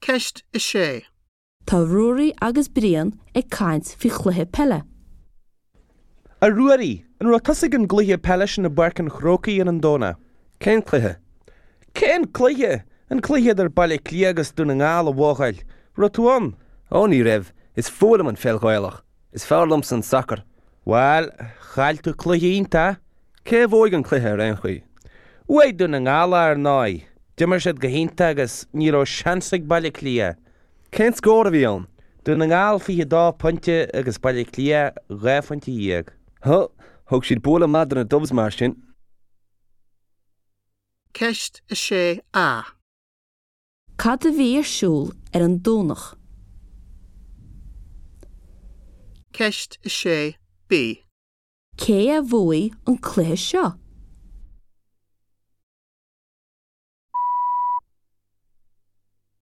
Ceist 6. Tá Ruairí agus Brian ag caint faoi chluiche peile. A Ruairí, an raibh tusa ag an gcluiche peile sin i bPáirc an Chrócaigh ar an Domhnach? Cén cluiche? Cén cluiche? An cluiche idir Baile Átha Cliath agus Dún na nGall, a bhuachaill. Raibh tú ann? Ó ní raibh. Is fuath liom an pheil Ghaelach. Is fearr liomsa an sacar. Bhuel, chaill tú cluiche iontach. Cé a bhuaigh an cluiche ar aon chaoi? Bhuaigh Dún na nGall ar ndóigh. D'imir siad go hiontach agus ní raibh seans ag Baile Átha Cliath. Cén scór a bhí ann? Dún na nGall 22 pointe agus Baile Átha Cliath 12 phointe. Huh, thug siad bualadh maith do na Dubs mar sin. Ceist 6A. Cad a bhí ar siúl ar an Domhnach? Ceist 6B. Cé a bhuaigh an cluiche seo?